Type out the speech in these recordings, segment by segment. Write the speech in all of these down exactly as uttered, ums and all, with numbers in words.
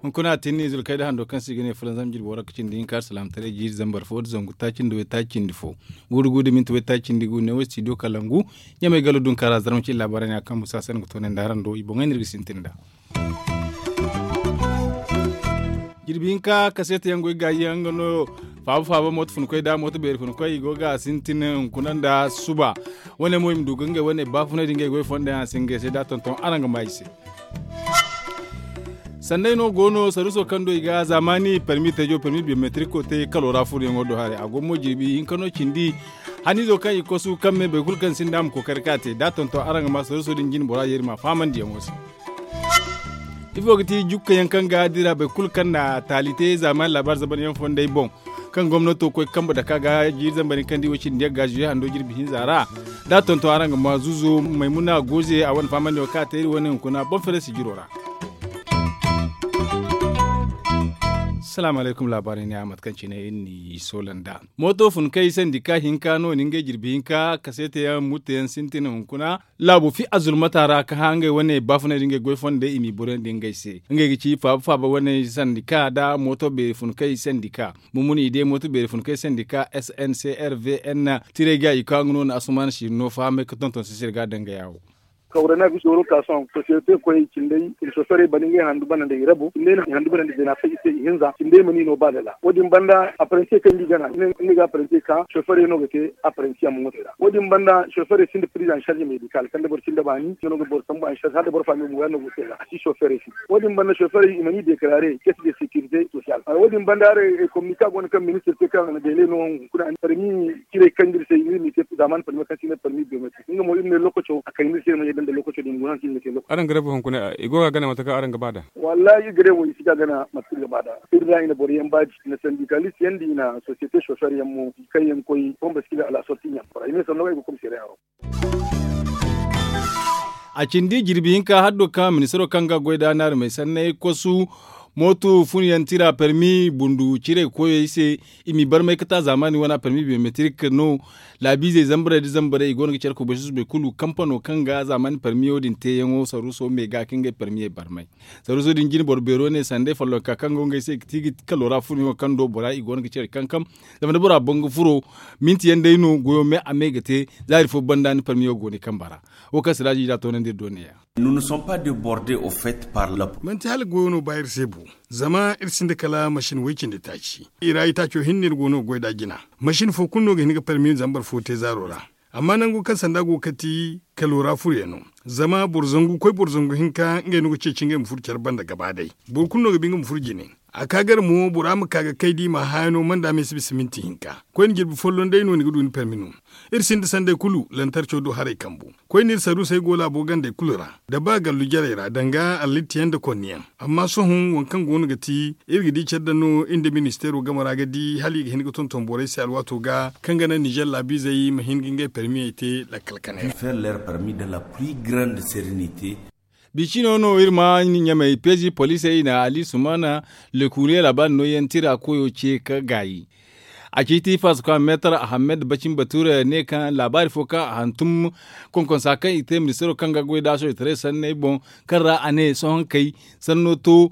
Hunkuna a tinni zulkayda hando kaŋ se i ga ne fulanzam jirbi waranka cindi hinka alsalaamataray jiiri zambar fo da zangu taaci nda waytaaci cindi fo, guuru guuru da minti waytaaci cindi gu ne wo studio kalangu. Ɲamay galo dunka ra zarma cine laabaarey no ya kaŋ musa se no ga toonandi araŋ do i boŋey no iri ga sintin nd'a. Jirbi hinka kaseeta yaŋ goy gaayi yaŋ nga no. Faaba faaba mooto funkoy da mooto beeri funkoy i go ga sintin hunkuna nda suba. Wane mo i ma du ga ngey wane baafunay da ngey goy fonda yaŋ a si ngey se da a tonton araŋ ga ma i se. Sanney no go no saruuso kaŋ do i ga zaamaani permi teejo permi biyometiriko te kalo ra furoyaŋo do haray a go mo jirbi hinka no cindi. Haniizo kaŋ i kosu kaŋ me boro kulu kaŋ sinda a ma kookari ka te da a tonton araŋ ga ma saruuso din jine bora yeeri ma faamandiyaŋo se. Ifo ga ti jukka yaŋ kaŋ ga dira boro kulu kaŋ na taali te zaamaani laabaari zaban yaŋ fondey boŋ kaŋ gomnato koy kambe dake a ga jiiri zambar hinka nda i wo cindi yagga zuye hando jirbi hinza ra. Da a tonton araŋ ga ma zuuzo maymuna goze a wane faamandiyaŋo kaŋ a te iri wane hunkuna boŋ fere sijiro ra. Salaamu alaykum laabaarey ne a mate kaŋ cine iri n'i soola nd'a. Mooto fun kay sandika hinka no ni ngey jirbi hinka kaseete yaŋ mutto yaŋ sintin hunkuna. Laabu fi azulmata ra ka hã ngey wane baafunay da ngey goy fondey i m'i borandi ngey se. Ngey ga ci faaba faaba wane sandika nda mooto beeri fun kay sandika. Bumuni i de mooto beeri fun kay sandika s n c r v n. Tiray ga i ka nga no na asuman siiri no fahamay ga tonton sisir ga dangaya wo. Kawra na bisa waro ka sohõ sosiyete koyey cindey i na soferey bana ngey handu bana nda i rabo cindey na handu bana nda jina fay i se i hinza cindey mana i no ba dala wo- din banda apparensiye kaŋ ni gana ni ga apparensiye ka soferey no ga te apparensiye a ma ŋwa te ra wo- din banda soferey sinda pirize an sarze medikal kaŋ da boro sinda baani nga no ga boro sambu an sarze hala da boro faami mo yaŋ no ga te ra a si soferey se. Wo- din banda soferey i mana i dekarare kesi de sekirite sosiyal wo- din banda haray kominika go no kaŋ ministir te kaŋ a na deele no hunkuna permi. Cirey kaŋ ga iri se iri m'i te zaaman permi kaŋ se i ne permi biyometrik nga mo iri ne lokaco a kayna iri se iri ma ye daŋ da lokaco din guna kaŋ iri ga te lokaco. Araŋ ga rebu hunkuna i go ga a gana mate kaŋ araŋ ga ba nd'a. Wallahi iri ga rebu i si ga a gana mate kaŋ iri ga ba nd'a. Iri ra i na boro yaŋ baaji i na sandikalis yaŋ da i na sosiyete sofer yaŋ mo kaŋ yaŋ koy bombo si ga alasorti ɲa bora i ne sanno kaŋ i ga komiseera yaŋ ro. A cindi jirbi hinka haddo kaŋ ministaro kaŋ ga goy da naarumey sanney kosu mooto funyaŋ tira permi bundu ciray koyey se. I m'i barmay ga ta zaamaani wana permi biyometrik no. Laabiizey zambarey nda zambarey i go no ga care kubay susubay kulu kampano kaŋ ga zaamaani permiyo din teeyaŋo saruuso me ga ka ngey permiyey barmay. Saruuso din jine boro beero ne sanda i follonka kaŋ go ngey se i ga ti ga kalo ra furuyaŋo kaŋ do bora i go no ga care kankam. Zama da bora boŋ ga furo minti yaŋ day no goyo me a me ga te. Zaari fo banda ni parmiyo go ni kamba ra. Wo kaŋ siraaji da toonandi iri do neeya. Manti hala goyo no ba iri se bo. Zama iri sinda kala masin way cindi taaci. I ra itaaco hinne iri go no ga goy nd'a jina. Masin fo kulu no ga hin ga parmi zambar fo te zaaro ra. Amma nango kaŋ sanda go ga kati kalo ra furyaŋ no. Zama boro zangu koy boro zangu hinka ngey no ga ceeci ngey ma furo care banda gaba day. Boro kulu no ga ba nga ma furo jine. A ka gar mo bora ma ka ga kay da i ma haya no manda me si bisa minti hinka. Koyne jirbi folloŋ day no ni ga du ni parmi no. Iri sinda sanday kulu lantarco do haray kambu. Koyne iri saruusey go laabo gandey kulu ra. Da ba gallu jarey ra danga allittiyaŋ nda konniyaŋ. Amma sohõ waŋ kaŋ go no ga ti iri ga di care daŋ no iri nda ministeero game ra ga di hala i ga hin ga tonton borey se alwaato ga kaŋ ga naŋ nizer laabiizey ma hin ga ngey parmiyey te lakkal kanay ra. Biicino no iri ma ɲamey peezi poliisey i na ali sumana lekuriye laabaari nooyaŋ tira koyo ce ka gaayi. A ciiti faso kaŋ meetar ahammed bacin bature ne kaŋ laabaari fo kaŋ a hantum konkonsa kaŋ i te ministaro kaŋ ga goy da soojetaray sanney boŋ kaŋ ra a ne sohõ kay sanno to.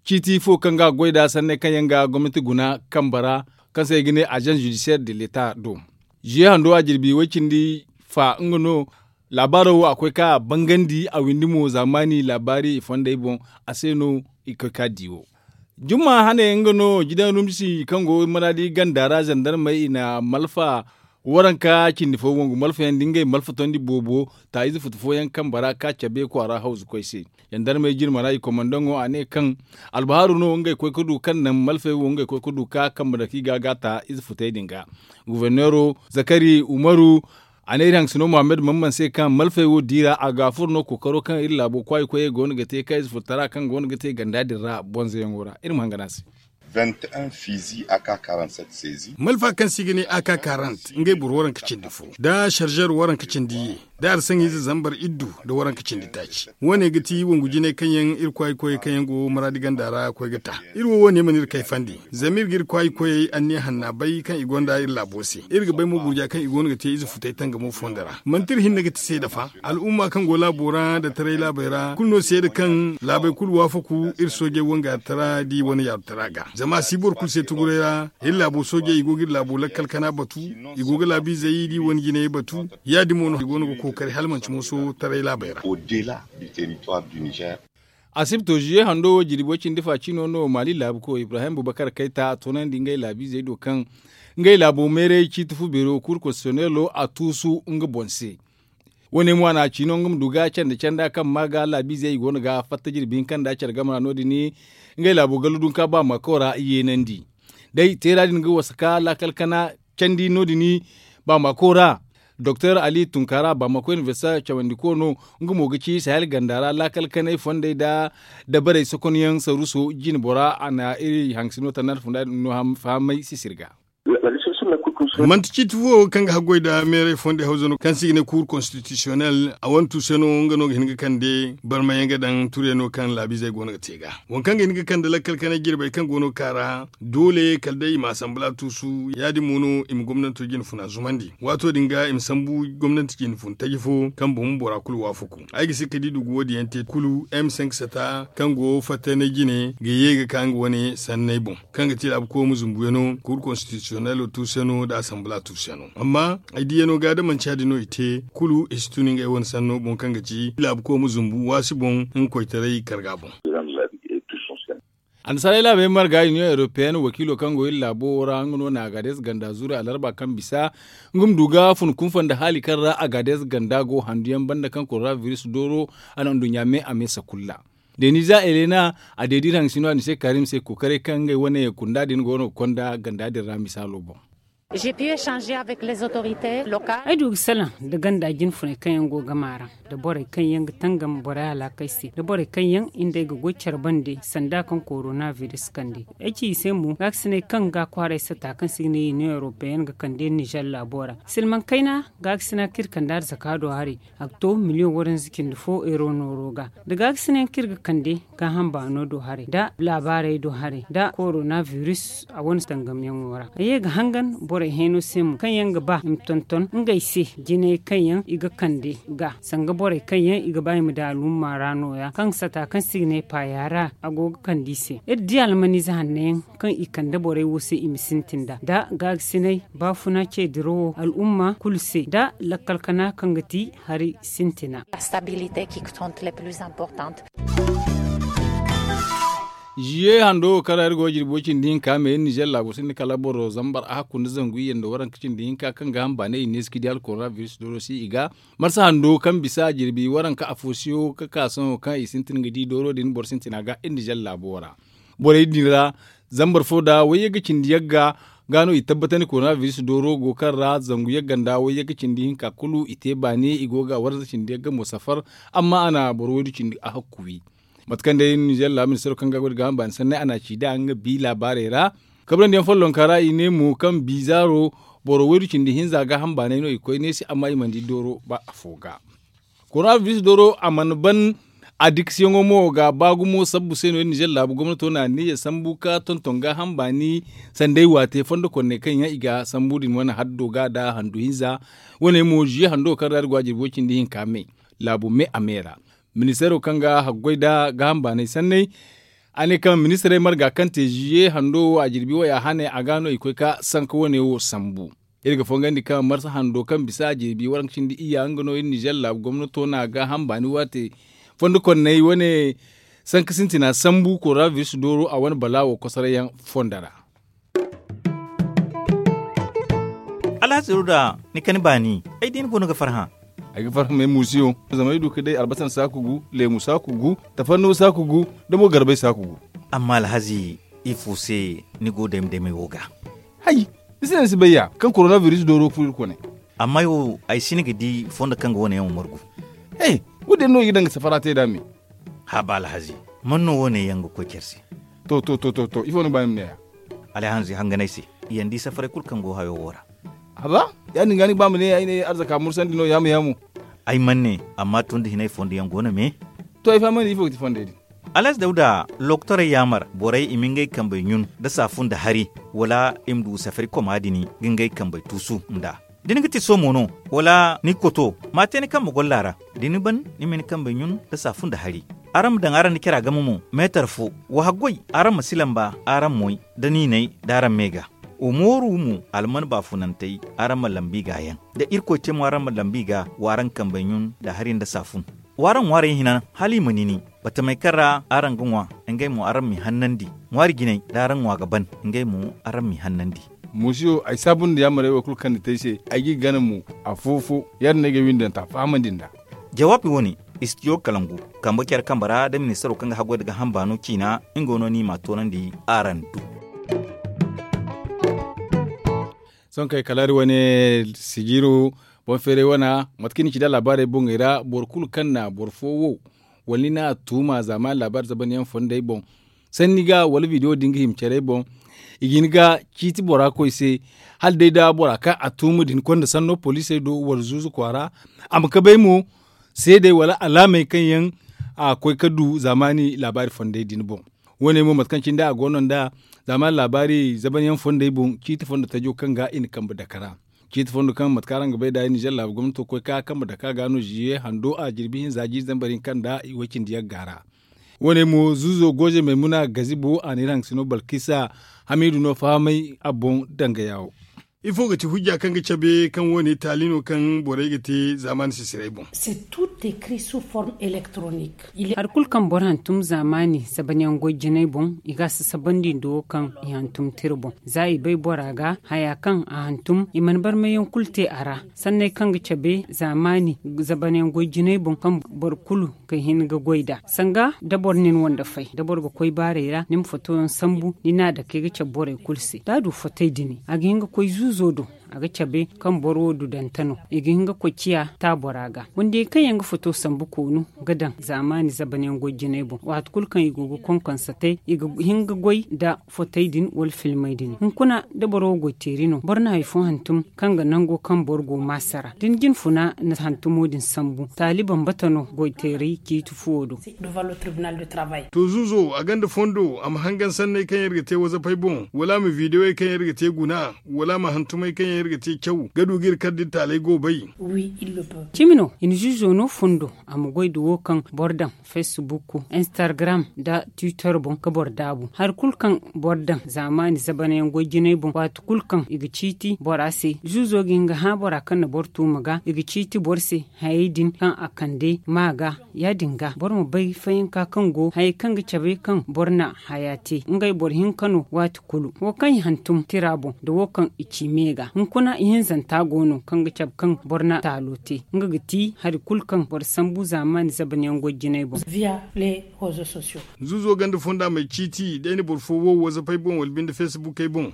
Ciiti fo kaŋ ga goy da sanney kaŋ yaŋ ga gomnati guna kamba ra kaŋ se i ga ne agence judiciaire de l'etat do. Ziye hando a jirbi way cindi fa nga no. Laabaaro wo a koy ka bangandi a windi mo zaamaani laabaari i fondey boŋ. A se no i koy ka di wo. Jumma hane nga no jidan rumsi kaŋ go maraadi ganda ra zandarmey i na malfa waranka cindi fo wangu malfayaŋ da ngey malfa tondi boobo ta ize futu fooyaŋ kambe ra ka cabe kwaara hawzu koy se. Zandarmey jirma ra i komandaŋo a ne kaŋ albahaaru no ngey koy ga du kaŋ naŋ malfey wo ngey koy ga du ka kambe dake i ga ga ta ize futey din ga. Guberneero zakari umaru a ne iri hangasino muhammad mamman se kaŋ malfey wo diira a ga a furo no kookaro kaŋ iri laabo kwaayi koyey go no ga te kaŋ ize furtara kaŋ go no ga te ganda din ra bonzoyaŋo ra iri ma hangan a se. Malfa kaŋ se i ga ne a ka karant ngey boro waranka cindi fo nda sarzar waranka cindi ye. da arsaŋize zambar iddu nda waranka cindi taaci. Wo- ne ga ti wongu jinay kaŋ yaŋ iri kwaayi koyey kaŋ yaŋ go maraadi ganda ra koy ga ta. Iri wo wo- ne mana iri kayfandi, zama iri ga iri kwaayi koyey anniya hanna bay kaŋ i gonda iri laabo se. Iri ga bay mo gurja kaŋ i go no ga te ize futay tangamo fondo ra. Manti iri hinne ga ti seeda fa. Al'umma kaŋ go laabo ra nda taray laabey ra kulu no seeda kaŋ laabey kulu waafaku iri soojey wangaari tara da i wane yaaru tara ga. Zama a si boro kulu se tuguray ra. Iri laabo soojey i go ga iri laabo lakkal kana batu, i go ga laabiizey da i wane jinayey batu. Ya- din mo no i go no ga kookari hala manti mooso taray laabey ra. Asibto ziye hando wo jirbi way cindi fa cino no maali laabu ko ibrahim bubakar kayta a toonandi ngey laabiizey do kaŋ ngey laabo meeray ciiti fu beero kuur konstitisyonelo a tuusu nga boŋ se. Wo- ne mo a na a ciino nga ma du ga canda canda kaŋ ma ga laabiizey i go no ga fatta jirbi hinka nda care game ra no- din ngey laabo gallu dunka ba ma koora yeenandi. Day teera din ga wasa ka laakal kana candi no- din ba ma koora. Doktor ali tunkara ba ma koy universita cawandi ko no nga mo ga ci sahel ganda ra laakal kanay fondey da dabarey sokonyaŋ saruso jine bora a na iri haŋ sino tannar funda din no fahamay sisir ga. Manti ciiti fo kaŋ ga haggoy nda meeray fondey hawza no kaŋ se i ga ne kuur konstitisyonel a wane tuuse no nga no ga hin ga kande barmayaŋ ga daŋ turyaŋ no kaŋ laabiizey go no ga te ga waŋ kaŋ ga hin ga kande lakkal kanay jirbey kaŋ go no ga ka ra. Doole kala day i ma asanbala tuusu ya- din mo no i ma gomnanto jine funa zumandi waato din ga i ma sambu gomnanti jine fun taji fo kaŋ boŋ bora kulu waafaku. Ay ga si ka di dugu wo- din yaŋ te kulu m cinq sata kaŋ go fattaynay jine ga ye ga ka nga wane sanney boŋ kaŋ ga ti laabu koy ma zumbu yaŋ no kuur konstitisyonelo tuusu yaŋ no nda asanbala tuusu yaŋ no amma ay di yaŋ no ga da manci ya- din no i te kulu i si tun ngey wane sanno boŋ kaŋ ga ci laabu koy ma zumbu waasi boŋ nga koytaray karga boŋ. Annasaarey laabey marga union europeenne wakiilo kaŋ go iri laabo wo ra nga no na agades ganda zuru alarba kaŋ bisa nga ma du ga fun kunfa nda haali kaŋ ra agades ganda go handu yaŋ banda kaŋ korona biris dooro a na nduɲɲa me a me sakulla. Deniza elena a deedi iri haŋ sino a ni se karim se kokaray kaŋ ngey wane kunda din go no ga konda ganda din ra misaalo boŋ. Ay du ga salaŋ nda ganda jinfuney kaŋ yaŋ go gama ra nda borey kaŋ yaŋ ga tangam borey alaakey se nda borey kaŋ yaŋ i nda ay ga goy care bande sanda kaŋ korona biris kande. Ay ci i se mo gaakasiney kaŋ ga kwaaray sata kaŋ se i ga ne iri no europeyen ga kande nizer laabo ra silmaŋ kayna. Gaakasina kaŋ iri kande arzaka do haray a ga to miliyoŋ waranza cindi fo euro nooro ga nda gaakasiney kaŋ iri ga kande gaaham baano do haray nda laabaarey do haray nda korona biris a wane tangamyaŋo ra. Ay ye ga hangan borey hayno se mo kaŋ yaŋ ga ba i ma tonton ngey se jinay kaŋ yaŋ i ga kande ga sanga borey kaŋ yaŋ i ga ba i ma daŋ alumma ra nooya kaŋ ga sata kaŋ se i ga ne paaya ra a go ga kande i se iri di almaniize hanno yaŋ kaŋ i kande borey wo se i ma sintin nd'a nda gaagasinay baafuna ce dirawo al'umma kulu se nda lakkal kana kaŋ ga ti hari sintina. Ziye hando wo kaŋ ra iri go ga jirbi way cindi hinka me iri nizer laabo sinda kala boro zambar a hakku nda zangu iyye nda waranka cindi hinka kaŋ ga hamba ne i neesi ga di hala korona biris dooro si i ga marsa hando kaŋ bisa jirbi waranka afo siyo ga ka sohõ kaŋ i sintin ga di dooro din boro sintina ga iri nizer laabo ra. Borey din ra zambar fo nda wayye ga cindi yagga ga no i tabbatandi korona biris dooro go kaŋ ra zangu yagga nda wayye ga cindi hinka kulu i te baani i go ga warza cindi yagga mo safar. Amma a na boro waydu cindi a hakku wi mate kaŋ day nizer laabu ministaro kaŋ ga goy da gaaham baani sanney a na a ci nd'a nga bi laabaarey ra. Kabrandi yaŋ follonka ra i ne mo kaŋ bizaaro boro waydu cindi hinza gaaham baaney no i koy neesi amma i mana di dooro ba afo ga. Korona biris dooro a mana ban a dikasiyaŋo mo ga ba gumo sabbu se no iri nizer laabu gomnato na niiya sambu ka tonton gaaham baani sanda ay waate fondo konney kaŋ yaŋ i ga sambu din wane haddo ga nda handu hinza. Wane mo ziye hando kaŋ ra iri go a jirbi way cindi hinka me laabu me a me ra. Ministaro kaŋ ga haggoy nda gaaham baanay sanney a ne kaŋ ministarey marga kaŋ te ziye hando wo a jirbi way a hane a ga no i koy ka sanka wane wo sambu. Iri ga fongandi kaŋ marsa hando kaŋ bisa a jirbi waranka cindi iyya nga no iri nizer laabu gomnato na gaaham baani waate fondo konney wane sanka sintina sambu korona biris dooro a wane balaawo kosorayyaŋ fondo ra. Alhazi ruda ni kani baani ay di ni goono ga farhã. Ay ga farhã me muusiyo zama ay du ka day albasan saaku gu leemu saaku gu tafanno saaku gu da mo garbay saaku gu. Amma alhazi ifo se ni go dayma daymay wo ga? Hay, ni si naŋ ni si bay ya kaŋ korona biris dooro furo iri kone. Amma ay wo ay si ni ga di fondo kaŋ ga wane yaŋ wo margu. He, wo- din no i ga daŋ ga safara te nd'a me. Haba alhazi, man no wo- ne yaŋ ga koy care se? To to to to to ifo no ba ni ma ne ya? Alhazi hangan ay se, i yaŋ di safaray kulu kaŋ go hayo wo ra. Haba, ya- din ga ni ga ba ma ne ay ne arzaka mursandi no yaamu yaamu. Ay mana ne, amma tun da hinay fondo yaŋ go no me. To ay fahamandi ifo ga ti fondey din? Alaaz dawda, lokotorey yaamar borey i ma ngey kambey ɲun nda saafun nda hari, wala i ma du safari koma din ga ngey kambey tuusu nd'a. Da ni ga ti soomo no, wala ni ga koto, ma te ni kambe golla ra. Da ni ban, ni ma ni kambey ɲun nda saafun nda hari. Araŋ ma daŋ araŋ nda cara game mo meetar fo. Wa haggoy, araŋ ma si lamba araŋ moy, da niinay da araŋ me ga. Wa mooru mo, alman baafunantey, araŋ ma lambi ga yaŋ. Da irkoy te mo araŋ ma lambi ga, wa araŋ kambey ɲun nda hari nda saafun. Wa araŋ ŋwaarey hina, hala i ma nini. Batamey kaŋ ra araŋ ga ŋwa, ngey mo araŋ m'i hannandi. Ŋwaari jinay da araŋ ŋwa ga ban, ngey mo araŋ m'i hannandi. Muusiyo, ay saabu nda yaamarey wo kulu kaŋ ni te ay se, ay g'i gana mo. Afo-fo, ya- din no ay ga ay windanta fahamandi nd'a. Jawaabi wo- ne, istidiyo kalangu, kambe care kambe ra da ministaro kaŋ ga haggoy nda gaaham baano ciina, nga no ni m'a toonandi araŋ du. Sohõ kay kala hari wane, sijiro, boŋ feeray wana, mate kaŋ i na ci nd'a laabaarey boŋey ra, boro kulu kaŋ na boro fo wo, wala ni n'a tuuma zaamaani laabaari zabanyaŋ fondey boŋ, sanni ga wala bidiyo din ga hima care boŋ, i ga hin ga ciiti bora koy se. Hala day da bora kaŋ a tuuma din konda sanno poliisey do wala zuuzu kwaara, a ma kabay mo seedey wala alaamey kaŋ yaŋ a koy ga du zaamaani laabaari fondey din boŋ. Wo- ne mo mate kaŋ cine a go no nd'a zaamaani laabaari zabanyaŋ fondey boŋ ciiti fondo tajo kaŋ ga i na kambe dake ra. Ciiti fondo kaŋ mate kaŋ araŋ ga bay nd'a i nizer laabu gomnato koy ga kambe dake a ga no ziye hando a jirbi hinza jiiri zambar hinka nda way- cindi yagga ra. Wo- ne mo zuuzo gooze maymuna gazibo a na iri haŋ sino balkisa hamiidu no fahamay a boŋ danga yaawo. Ifo ga ti hujja kaŋ ga cabe kaŋ wo- ne taali no kaŋ borey ga te zaamaani sisiray boŋ? Hari kulu kaŋ boro hantum zaamaani zabanyaŋ goy jinay boŋ, i ga a sasabandi nda wo kaŋ i hantum tira boŋ. Za i bay bora ga haya kaŋ a hantum, i mana barmayyaŋ kulu te a ra. Sanney kaŋ ga cabe zaamaani zabanyaŋ goy jinay boŋ kaŋ boro kulu ga hin ga goy nd'a. Sanga da boro na ni wande fay, da boro ga koy baarey ra, ni ma fotoyaŋ sambu, ni n'a dake ga cabe borey kulu se. Da a du fotey din, a ga hin ga koy zuuzo do. A ga cabe kaŋ boro wo du danta no. I ga hin ga koy ciya taabora ga. Wandiyey kaŋ yaŋ ga foto sambu koonu ga daŋ zaamaani zabanyaŋ goy jinay boŋ. Waati kulu kaŋ i go ga konkonsa te, i ga hin ga goy nda fotey din wala filmey din. Hunkuna, da boro wo goy teeri no, boro na hari fo hantum kaŋ ga nango kaŋ boro go maasa ra. Da ni jine funa na hantumo din sambu, taali bambata no goy teeri ciiti fuwo do. To, zuuzo, a gonda fondo a ma hangan sanney kaŋ iri ga te wazapey boŋ, wala a ma videwey kaŋ iri ga te guna, wala a ma hantumey kaŋ yaŋ iri ga te caw ga du ga iri kar da iri taaley go bay? Cimi no, i na zuuzo no fondo a ma goy nda wo kaŋ boro daŋ, facebook, instagram, nda twitter boŋ ga boro daabu. Hari kulu kaŋ boro daŋ zaamaani zabanyaŋ goy jinay boŋ, waati kulu kaŋ i ga ciiti bora se, zuuzo ga hin ga hã bora kaŋ na boro tuuma ga, i ga ciiti boro se. Hayey din kaŋ a kande ma ga, ya- din ga boro ma bay fayanka kaŋ go hayey kaŋ ga cabe kaŋ boro na haya te ngey boro hinka no waati kulu. Wo kaŋ i hantum tira boŋ nda wo kaŋ i ci me ga, hunkuna ihinzanta go no kaŋ ga cabe kaŋ boro na taalo te. Nga ga ti hari kulu kaŋ boro sambu zaamaani zabanyaŋ goy jinay boŋ. Zuuzo gonda fonda may ciiti da ay na boro fo wo wazapey boŋ wala binde facebookey boŋ?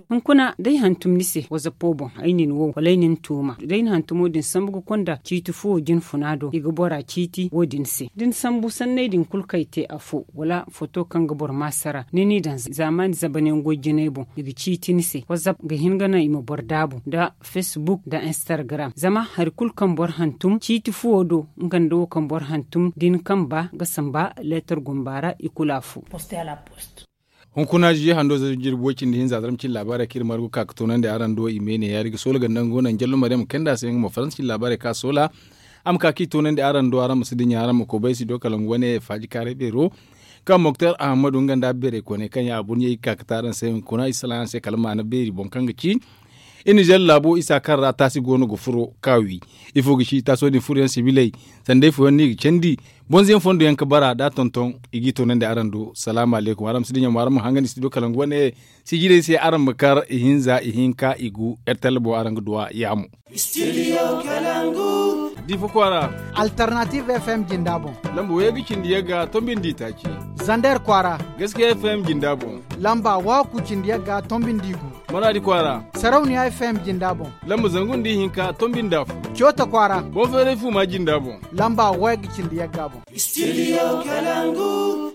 Hunkuna, da ay hantum ni se wazapo boŋ, ay na ni wo wala ay na ni tuuma, da ay na hantumo din sambu ga konda ciiti fuwo jine funa do, i ga bora ciiti wo- din se. Da ni sambu sanney din kulu kaŋ ay te afo, wala foto kaŋ ga boro maasara, ni n'i daŋ zaamaani zabanyaŋ goy jinay boŋ, i ga ciiti ni se. Wazap ga hin ga naŋ i ma boro daabu nda facebook nda instagram. Zama hari kulu kaŋ boro hantum ciiti fuwo do, nga nda wo kaŋ boro hantum da ni kamba ga samba leetar gumba ra i kulu afo. Hunkuna ziye hando za jirbi way cindi hinza zarma cine laabaarey kaŋ iri margu ka ga toonandi araŋ do i me ne yaari ga soola ganda nga go naŋ jallo maryam kayna se nga mo faransa cine laabaarey kaŋ a soola. A ma ka kaŋ i toonandi araŋ do araŋ ma si dinya araŋ ma koobay si do kala nga wane faaji kaaray beero kaŋ moktar ahamadu nga nda beeray kooney kaŋ yaŋ a burɲey ga ka ga te araŋ se hunkuna i salaŋ araŋ se kala maana beeri boŋ kaŋ ga ci. Iri na zella laabo isa kaŋ ra taasi go no ga furo ka wi. Ifo ga ci taaso din furoyaŋ sibiley sanda ifo yaŋ no i ga candi. Bonzo yaŋ fondo yaŋ ga bara da a tonton i g'i toonandi araŋ do salaamu alaykum araŋ ma si dinya mo araŋ ma hangan i si do kala nga wane. Sijirey se araŋ ma kar ihinza ihinka igu. Rtl boŋ araŋ ga duw'a yaamo. Difa kwaara. Alternative fm jinda boŋ. Lamba wayga cindi yagga tombindi taaci. Zander kwaara. Gaskiya fm jinda boŋ. Lamba waaku cindi yagga tombindi gu. Maraadi kwaara. Sarauniya fm jinda boŋ. Lamba zangu nda ihinka tombindi afo. Coota kwaara. Boŋ feeray fuuma jinda boŋ. Lamba wayga cindi yagga boŋ. Studio kalangu.